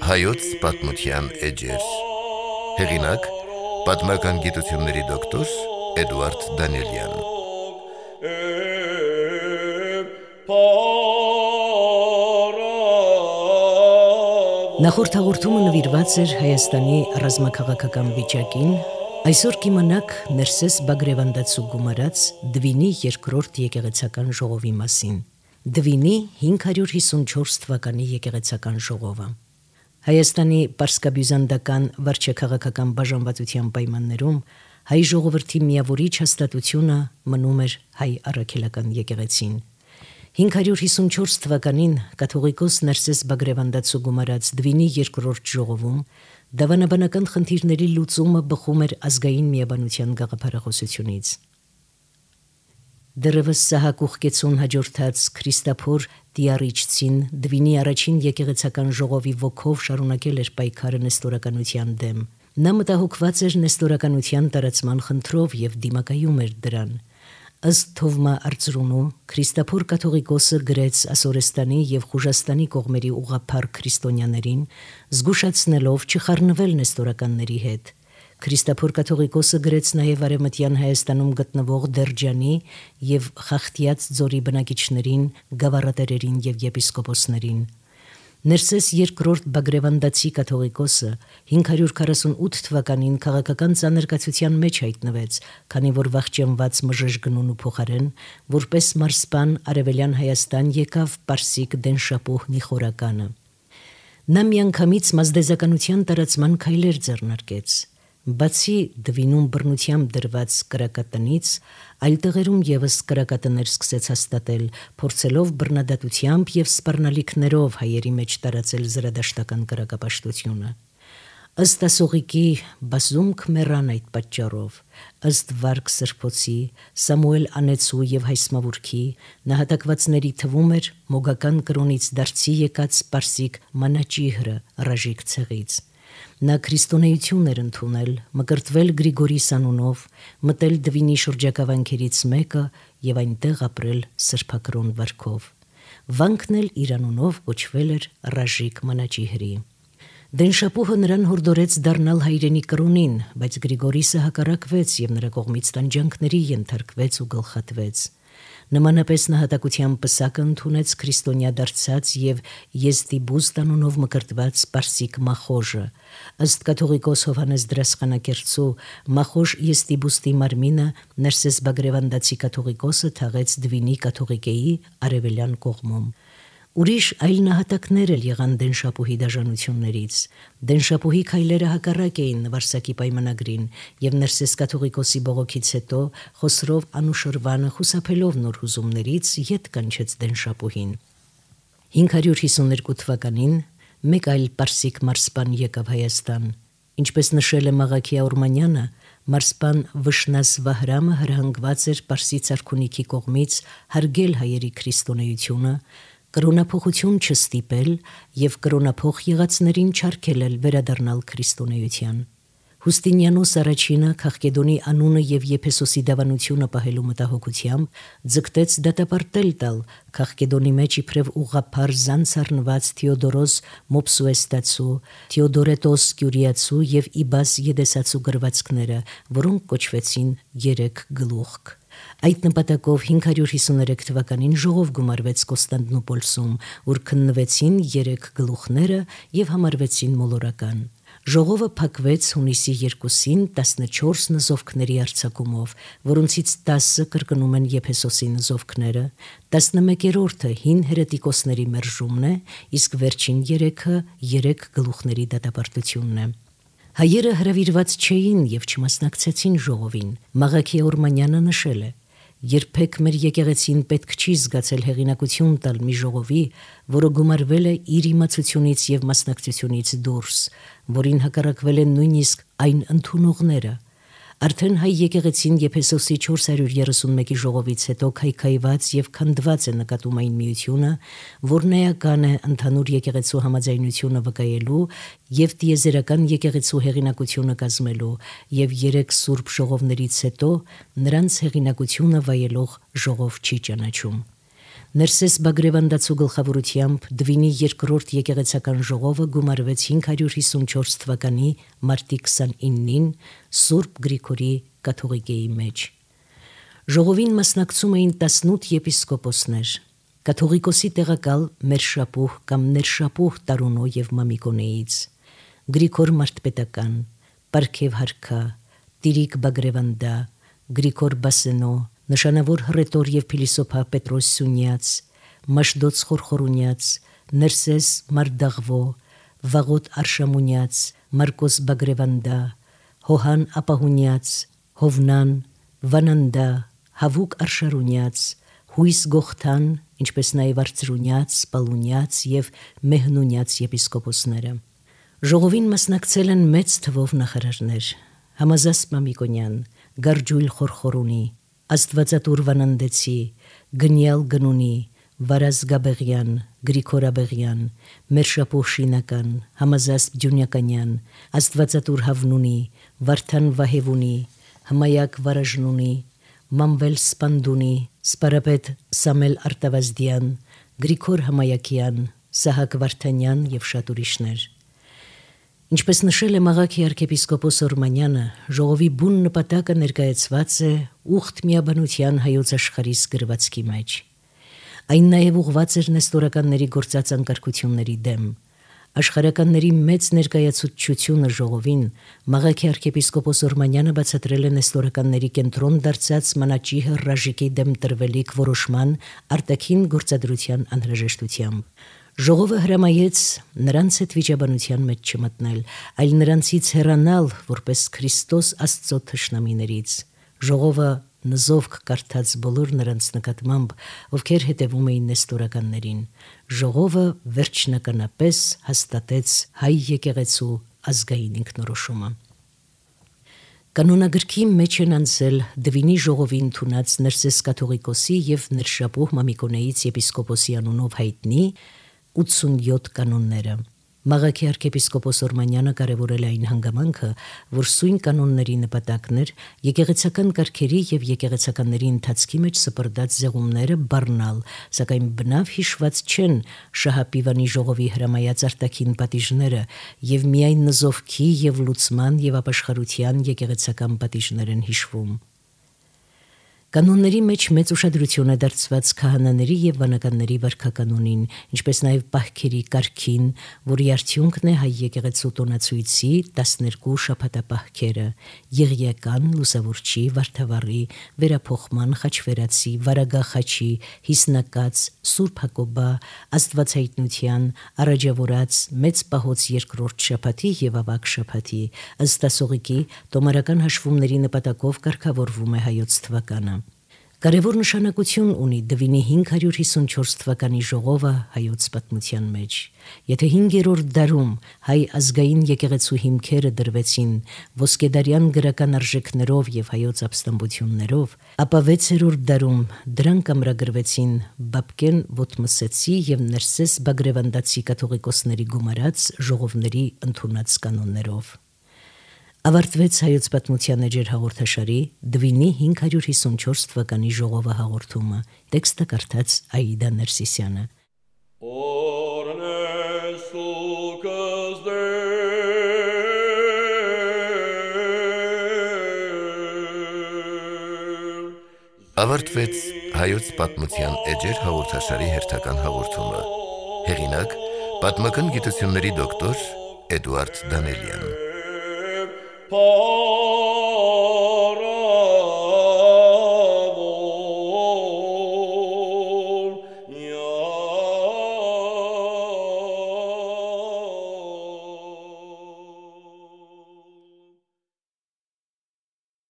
Հայոց պատմության էջեր։ Հեղինակ՝ պատմական գիտությունների դոկտոր Էդուարդ Դանիելյան։ Նախորդ հաղորդումը նվիրված էր Հայաստանի ռազմաքաղաքական վիճակին, այսօր կիմանաք Ներսես Բագրևանդացու գումարած Դվինի երկրորդ եկեղեցական ժողովի մասին։ Դվինի 554 թվականի եկեղեցական ժողովը։ Հայաստանի պարսկաբյուզանդական վարչաքաղաքական բաժանվածության պայմաններում հայ ժողովրդի միավորիչ հաստատությունը մնում էր հայ առաքելական եկեղեցին։ 554 թվականին կաթողիկոս Ներսես Բագրևանդացու գումարած Դվինի երկրորդ ժողովում դավանաբանական խնդիրների լուծումը բխում էր ազգային միաբանության գաղափարախոսությունից։ Դեռևս Սահակ Ուխկեցուն հաջորդած Քրիստափոր Տիարիչցին Դվինի առաջին եկեղեցական ժողովի ոգով շարունակել էր պայքարը նեստորականության դեմ։ Նա մտահոգված էր նեստորականության տարածման խնդրով եւ դիմակայում էր դրան։ Ըստ Թովմա Արծրունու Քրիստափոր կաթողիկոսը գրեց Ասորեստանի եւ Խուժաստանի կողմերի ուղղափառ քրիստոնյաներին, զգուշացնելով չխառնվել նեստորականների հետ։ Քրիստափոր կաթողիկոսը գրեց նաև Արևմտյան Հայաստանում գտնվող Դերջանի եւ Խախտյաց ձորի բնակիչներին, գավառատերերին եւ եպիսկոպոսներին։ Ներսես երկրորդ Բագրևանդացի կաթողիկոսը 548 թվականին քաղաքական ծանրկացության մեջ հայտնվեց, քանի որ վախճանված մժժգնունու փոխարեն որպես մարսպան Արևելյան Հայաստան եկավ Պարսիկ Դենշապուհ Նիխորականը։ Նա միանգամից մազդեզականության տարածման քայլեր ձեռնարկեց։ Բացի Դվինում բռնությամբ դրված կրակատնից, այլ տեղերում եւս կրակատներ սկսեց հաստատել, փորձելով բռնադատությամբ եւ սպառնալիքներով հայերի մեջ տարածել զրադաշտական կրակապաշտությունը։ Ըստ ասողիկի Բազում Քմերան այդ պատճառով, ըստ Վարկ Սրբոցի, Սամուել Անեցու եւ Հայսմավուրքի նահատակվածների թվում էր մոգական կրոնից դարձի եկած Պարսիկ Մանաճիհրը Ռաժիկ ցեղից։ Նա քրիստոնեություն էր ընդունել, մկրտվել Գրիգորիս անունով, մտել Դվինի շրջակա մեկը եւ այնտեղ ապրել սրբակրոն վարքով։ Վանքն էլ իր անունով կոչվել էր Ռաժիկ Մանաճիհրի։ Դենշապուհը նրան հորդորեց դառնալ հայրենի կրոնին, բայց Գրիգորիսը հակառակվեց եւ նրա կողմից տանջանքների ենթարկվեց ու գլխատվեց։ Նմանապես նահատակության պսակը ընդունեց քրիստոնյա դարձած եւ Եզդիբուս անունով մկրտված Պարսիկ Մախոժը։ Ըստ կաթողիկոս Հովհաննես Դրասխանակերտցու Մախոժ Եզդիբուստի մարմինը Ներսես Բագրևանդացի կաթողիկոսը թաղեց Դվինի կաթողիկեի արևելյան կողմում։ Ուրիշ այլ նահատակներ էլ եղան Դենշապուհի դաժանություններից։ Դենշապուհի քայլերը հակառակ էին Վարսակի պայմանագրին եւ Ներսես կաթողիկոսի բողոքից հետո Խոսրով Անուշրվանը խուսափելով նոր հուզումներից ետ կանչեց Դենշապուհին։ 552 թվականին մեկ այլ պարսիկ մարսպան եկավ Հայաստան։ Ինչպես նշել է Մաղաքիա Օրմանյանը, մարսպան Վշնաս Վահրամը հրահանգված էր Պարսից արքունիքի կողմից հարգել հայերի քրիստոնեությունը, կրոնափոխություն չստիպել եւ կրոնափոխ եղածներին չարգելել վերադառնալ քրիստոնեության։ Հուստինիանոս առաջինը Քաղկեդոնի անունը եւ Եփեսոսի դավանությունը պահելու մտահոգությամբ ձգտեց դատապարտել տալ Քաղկեդոնի մեջ իբրև ուղղափառ զանց առնված Թեոդորոս Մոպսուեստացու, Թեոդորետոս Կյուրիացու եւ Իբաս Եդեսացու գրվածքները, որոնք կոչվեցին Երեք գլուխ։ Այդ նպատակով 553 թվականին ժողով գումարվեց Կոստանդնուպոլսում, ուր քննվեցին 3 գլուխները եւ համարվեցին մոլորական։ Ժողովը փակվեց հունիսի 2-ին 14 նզովքների արձակումով, որոնցից 10-ը կրկնում են Եփեսոսի նզովքները, 11-րդը հին հերետիկոսների մերժումն է, իսկ վերջին 3-ը 3 գլուխների դատապարտությունն է։ Հայերը հրավիրված չէին եւ չմասնակցեցին ժողովին։ Մաղաքիա Օրմանյանը նշել է. Երբեք մեր եկեղեցին պետք չի զգացել հեղինակություն տալ մի ժողովի, որը գումարվել է իր իմացությունից եւ մասնակցությունից դուրս, որին հակառակվել են նույնիսկ այն ընդունողները։ Արդեն հայ եկեղեցին Եփեսոսի 431-ի ժողովից հետո քայքայված եւ քանդված է նկատում այն միությունը, որն էական է ընդհանուր եկեղեցու համաձայնությունը վկայելու եւ տիեզերական եկեղեցու հեղինակությունը կազմելու եւ 3 սուրբ ժողովներից հետո նրանց հեղինակությունը վայելող ժողով չի ճանաչում։ Ներսես Բագրևանդացու գլխավորությամբ Դվինի երկրորդ եկեղեցական ժողովը գումարվեց 554 թվականի մարտի 29-ին Սուրբ Գրիգորի կաթողիկեի մեջ։ Ժողովին մասնակցում էին 18 եպիսկոպոսներ, կաթողիկոսի տեղակալ Մերշապուհ կամ Ներշապուհ Տարունո եւ Մամիկոնեից, Գրիգոր Մարտպետական, Պարքև Հարքա, Տիրիկ Բագրևանդա, Գրիգոր Բասենո, նշանավոր հռետոր եւ փիլիսոփա Պետրոս Սունյաց, Մաշդոց Խորխորունյաց, Ներսես Մարդաղվո, Վաղոտ Արշամունյաց, Մարկոս Բագրևանդա, Հոհան Ապահունյաց, Հովնան, Վանանդա, Հավուկ Արշարունյաց, Հույս Գողթան, ինչպես նաեւ Արծրունյաց, Սպալունյաց եւ Մեհնունյաց եպիսկոպոսները։ Ժողովին մասնակցել են մեծ թվով նախարարներ՝ Համազասպ Մամիկոնյան, Գարջույլ Խորխորունի, Աստվածատուր Վանանդեցի, Գնյալ Գնունի, Վարազ Գաբեղյան, Գրիգոր Աբեղյան, Մերշապուհ Շինական, Համազասպ Ջունյականյան, Աստվածատուր Հավնունի, Վարդան Վահևունի, Հմայակ Վարաժնունի, Մամվել Սպանդունի, Սպարապետ Սամել Արտավազդյան, Գրիգոր Հմայակյան, Սահակ Վարդանյան եւ շատ ուրիշներ։ Ինչպես նշել է Մաղաքի arczepiskopos Օրմանյանը, ժողովի բուն նպատակը ներկայացված է ուխտ միաբանության հայոց աշխարհիս գրվածքի մեջ։ Այն նաև ուղղված էր նեստորականների գործած անկարգությունների դեմ։ Աշխարհականների մեծ ներկայացուցչությունը ժողովին Մաղաքի arczepiskopos Օրմանյանը բացատրել է նեստորականների կենտրոն դարձած մանաճի հրաժեշտի դեմ տրվելիք որոշման արտաքին գործադրության անհրաժեշտությամբ։ Ժողովը հրամայեց նրանց հետ վիճաբանության մեջ չմտնել, այլ նրանցից հեռանալ որպես Քրիստոս Աստծո թշնամիներից։ Ժողովը նզովք կարդաց բոլոր նրանց նկատմամբ, ովքեր հետևում էին նեստորականներին։ Ժողովը վերջնականապես հաստատեց հայ եկեղեցու ազգային ինքնորոշումը։ Կանոնագրքի մեջ են անցել Դվինի ժողովի ընդունած Ներսես կաթողիկոսի եւ Ներշապուհ Մամիկոնեից եպիսկոպոսի անունով հայտնի 87 կանոնները։ Մաղաքի arczepiskopos Օրմանյանը կարևորել է այն հանգամանքը, որ սույն կանոնների նպատակն էր եկեղեցական կարգերի եւ եկեղեցականների ընթացքի մեջ սպրդած զեղումները բառնալ, սակայն բնավ հիշված չեն Շահապիվանի ժողովի հրամայած արտաքին պատիժները եւ միայն նզովքի եւ լուծման եւ ապաշխարության եկեղեցական պատիժներ են հիշվում։ Կանոնների մեջ մեծ ուշադրություն է դարձված քահանաների եւ վանականների վարքականոնին, ինչպես նաեւ պահքերի կարգին, որի արդյունքն է հայ եկեղեցու տոնացույցի 12 շաբաթապահքերը՝ Եղիական, Լուսավորչի, Վարդավառի, Վերափոխման, Խաչվերացի, Վարագախաչի, Հիսնակաց, Սուրբ Հակոբա, Աստվածայտնության, Արաջավորած, Մեծ Պահոց երկրորդ շաբաթի եւ Ավագ շաբաթի, ըստ ասողիկի տոմարական հաշվումների նպատակով կարգավորվում է հայոց թվականը։ Կարևոր նշանակություն ունի Դվինի 554 թվականի ժողովը հայոց պատմության մեջ։ Եթե 5-րդ դարում հայ ազգային եկեղեցու հիմքերը դրվեցին ոսկեդարյան գրական արժեքներով եւ հայոց ապստամբություններով, ապա 6-րդ դարում դրանք ամրագրվեցին Բաբկեն Ոտմսեցի եւ Ներսես Բագրևանդացի կաթողիկոսների գումարած ժողովների ընդունած կանոններով։ Ավարտվեց հայոց պատմության էջեր հաղորդաշարի Դվինի 554 թվականի ժողովը հաղորդումը։ Տեքստը կարդաց Աիդա Ներսիսյանը։ Ավարտվեց հայոց պատմության էջեր հաղորդաշարի հերթական հաղորդումը։ Հեղինակ՝ պատմական գիտությունների դոկտոր Էդուարդ Դանելյան։